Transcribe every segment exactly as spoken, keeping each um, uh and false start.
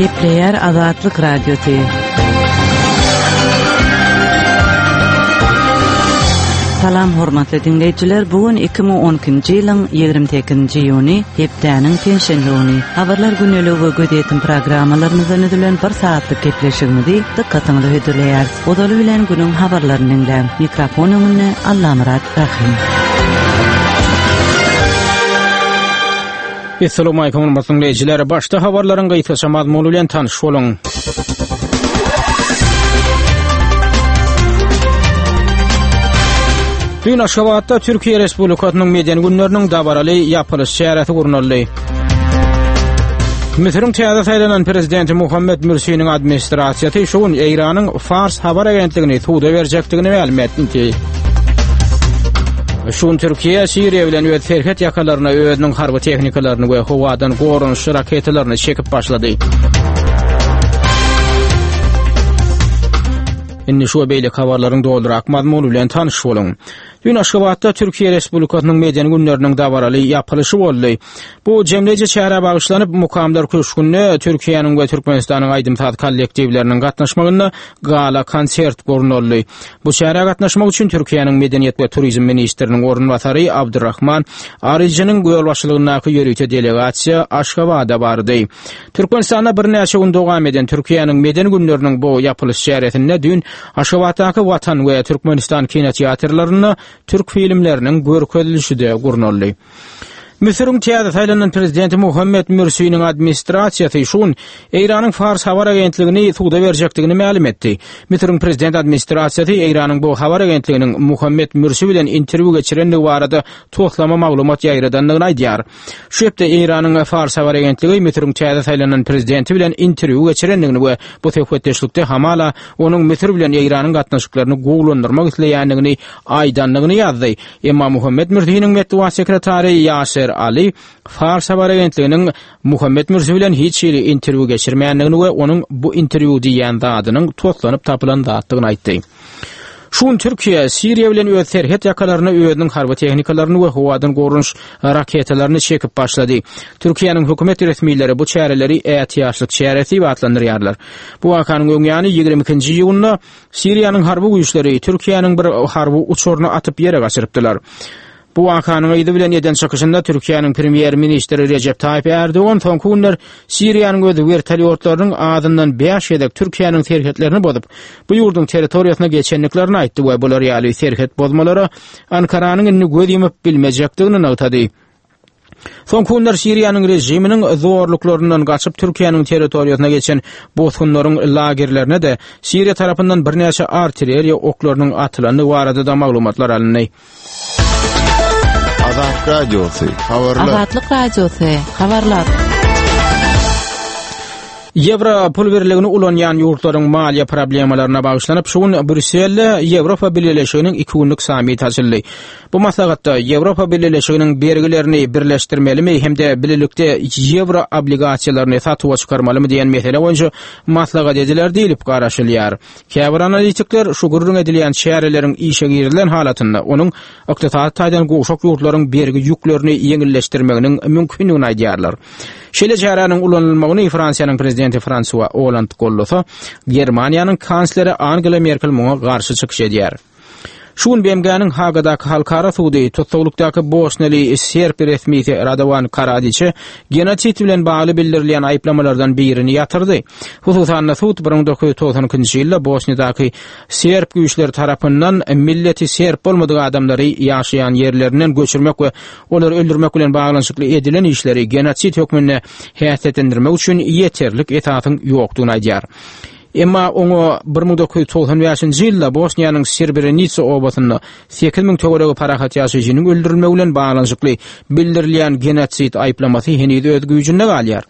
Gepleýär Azatlyk Radiosy. Salam hormatly diňleýjiler. Bu gün iki müň on ikinji ýylyň ýigrimi sekizinji iýuny, hepdäniň penşenbe güni. Habarlar güneligi we gözýetim programmalarymyzdan düzülen bir saatlyk gepleşigimizi dykgatyňyza hödürleýäris. Ozaly bilen günüň habarlaryny diňläň. Mikrofon öňünde Allamyrat Rahim. Assalamu alaykum hormatly dinleýjiler. Başda habarlaryň gysgaça mazmuny bilen tanyş boluň. Dün Aşgabatda Türkiye Respublikasynyň medeni günleriniň dabaraly ýapylyş çäresi gurnaldy. Müsüriň täze saýlanan prezidenti Muhammed Mürsiniň administrasiýasy şu gün Eýranyň Fars habar agentligini suda berjekdigini mälim etdi. Şu gün Türkiye Siriýa bilen öz serhet ýakalaryna özüniň harby tehnikalaryny we howadan goranyş raketalaryny çekip başlady. Indi şu beýleki habarlaryň dolurak mazmuny bilen tanyş boluň. Dün Aşgabatda Türkiye Respublikasynyň medeni günleriniň dabaraly ýapylyşy boldy. Bu jemleýji çärä bagyşlanyp Mukamlar Köşgünde Türkiýäniň we Türkmenistanyň aýdym-saz kollektiwleriniň gatnaşmagynda gala konsert gurnaldy. Bu çärä gatnaşmak üçin Türkiýäniň Medeniýet we Turizm ministriniň orunbasary Abdurrahman Aryjynyň ýolbaşçylygyndaky ýörite delegasiýa Aşgabada bardy. Türkmenistanda birnäçe gün dowam eden Türkiýäniň medeni günleriniň bu ýapylyş çäresinde dün Aşgabatdaky Watan we Türkmenistan kinoteatrlarynda türk filmleriniň görkezilişi de gurnaldy. Müsüriň täze saýlanan prezidenti Muhammed Mürsiniň administrasiýasy şu gün Eýranyň Fars habar agentligini suda berjekdigini mälim etdi. Müsüriň prezident administrasiýasy Eýranyň bu habar agentliginiň Muhammed Mürsi bilen interwýu geçirendigi barada toslama maglumat ýaýradandygyny aýdýar. Şu hepde Eýranyň Fars habar agentligi Müsüriň täze saýlanan prezidenti bilen interwýu geçirendigini we bu söhbetdeşlikde hamala onuň Müsür bilen Eýranyň gatnaşyklaryny gowulandyrmak isleýändigini aýdandygyny ýazdy. Emma Muhammed Mürsiniň metbugat sekretary Ýaser Ali Fars habar agentliginiň Muhammed Mürsi bilen hiç hili interwýu geçirmändigini we onuň bu interwýu diýen zadynyň toslanyp tapylan zatdygyny aýtdy. Şu gün Türkiye Siriýa bilen öz serhet ýakalaryna özüniň harby tehnikalaryny we howadan goranyş raketalaryny çekip başlady. Türkiýäniň hökümet resmileri bu çäreleri ätiýaçlyk çäresi diýip atlandyrýarlar. Bu wakanyň öň ýany ýigrimi ikinji iýunda Siriýanyň harby güýçleri Türkiýäniň bir harby uçaryny atyp ýere gaçyrypdylar. Bu wakanyň yzy bilen eden çykyşynda Türkiýäniň premýer-ministri Recep Tayyip Erdoğan soňky günler Siriýanyň öz vertolýotlarynyň azyndan bäş gezek Türkiýäniň serhetlerini bozup, bu ýurduň territoriýasyna geçendiklerini aýtdy we bular ýaly serhet bozmalara Ankaranyň indi göz ýumup bilmejekdigini nygtady. Soňky günler Siriýanyň režiminiň zorluklaryndan gaçyp Türkiýäniň territoriýasyna geçen bosgunlaryň lagerlerine de Siriýa tarapyndan birnäçe artilleriýa oklarynyň atylandygy barada da maglumatlar alyndy. Azatlyk Radiosy, habarlar. Azatlyk Radiosy, habarlar. Ýewro pul birligini ulanýan ýurtlaryň maliýe problemalaryna bagyşlanyp, şu gün Brýusselde Ýewropa Bileleşiginiň iki günlük sammiti açyldy. Bu maslahatda Ýewropa Bileleşiginiň bergilerini birleşdirmelimi hem-de bilelikde ýewro obligasiýalaryny satuwa çykarmalymy diýen mesele boýunça maslahat ediler diýlip garaşylýar. Käbir analitikler şu gürrüň edilýän çäreleriň işe girilen halatynda onuň ykdysady taýdan gowşak ýurtlaryň bergi ýüklerini ýeňilleşdirmeginiň mümkindigini aýdýarlar. Şeýle çäräniň ulanylmagyny Fransiýanyň prezidenti Fransua Hollande gollasa, Germaniýanyň kansleri Angela Merkel muňa garşy çykyş edýär. Şu gün B M G-niň Hagadaky halkara sudy tutsaglykdaky Bosneli serb resmisi Radovan Karadiçe genosid bilen bagly bildirilýän aýyplamalardan birini ýatyrdy. Hususan-da sud bir müň dokuz ýüz togsan ikinji ýylda Bosniýadaky serb güýçleri tarapyndan milleti serb bolmadyk adamlary ýaşaýan ýerlerinden göçürmek we olary öldürmek bilen baglanyşykly edilen işleri genosid hökmünde häsiýetlendirmek üçin ýeterlik esasyň ýokdugyny aýdýar. Emma oňa bir müň dokuz ýüz togsan bäşinji ýylda Bosniýanyň Srebrenica obasynda sekiz müň töweregi parahat ýaşaýjynyň öldürilmegi bilen baglanyşykly bildirilýän genosid aýyplamasy heniz öz güýjünde galýar.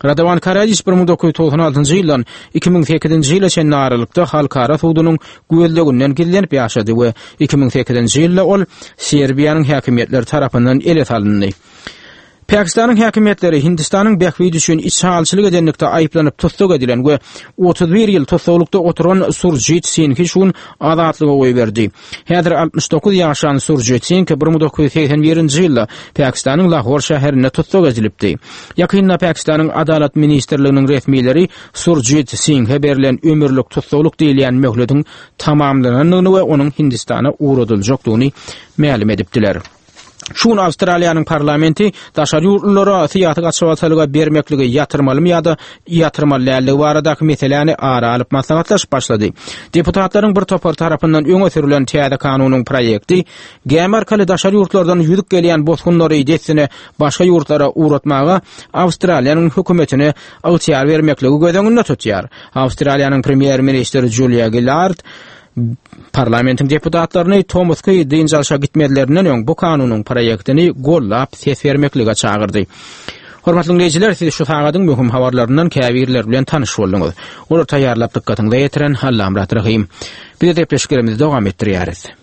Radovan Karadiç bir müň dokuz ýüz togsan altynjy ýyldan iki müň sekizinji ýyla çenli aralykda halkara sudunyň gözleginden gizlenip ýaşady we iki müň sekizinji ýylda ol Serbiýanyň häkimiýetleri tarapyndan ele salyndy. Pakistanyň häkimiýetleri Hindistanyň bähbidi üçin içalçylyk edenlikde aýyplanyp tussag edilen we otuz bir ýyl tussaglykda oturan Surjit Singhi şu gün azatlyga goýberdi. Häzir altmyş dokuz ýaşan Surjit Singh bir müň dokuz ýüz segsen birinji ýylda Pakistanyň Lahor şäherinde tussag edilipdi. Ýakynda Pakistanyň Adalat ministrliginiň resmileri Surjit Singhe berlen ömürlik tussaglyk diýilýän möhletiň tamamlanandygyny we onuň Hindistana ugradyljakdygyny mälim edipdiler. Şu gün Awstraliýanyň parlamenti daşary ýurtlulara syýasy gaçybatalga bermekligi ýatyrmalymy ýa-da ýatyrmaly däldigi baradaky meseläni ara alyp maslahatlaşyp başlady. Deputatlaryň bir topary tarapyndan öňe sürülen täze kanunyň proýekti gämi arkaly daşary ýurtlardan ýüzüp gelýän bosgunlary dessine başga ýurtlara ugratmaga Awstraliýanyň hökümetine ygtyýar bermekligi göz öňünde tutýar. Awstraliýanyň premýer-ministri Julia Gillard parlamentiň deputatlaryny tomusky dynç alşa gitmezlerinden öň bu kanunyň proýektini gollap ses bermeklige çagyrdy. Hormatly dinleýjiler, siz şu sagadyň möhüm habarlaryndan käbirleri bilen tanyş bolduňyz. Olar taýýarlap dykgatyňyza ýetiren Allamyrat Rahym. Biz gepleşiklerimizi dowam etdirýäris.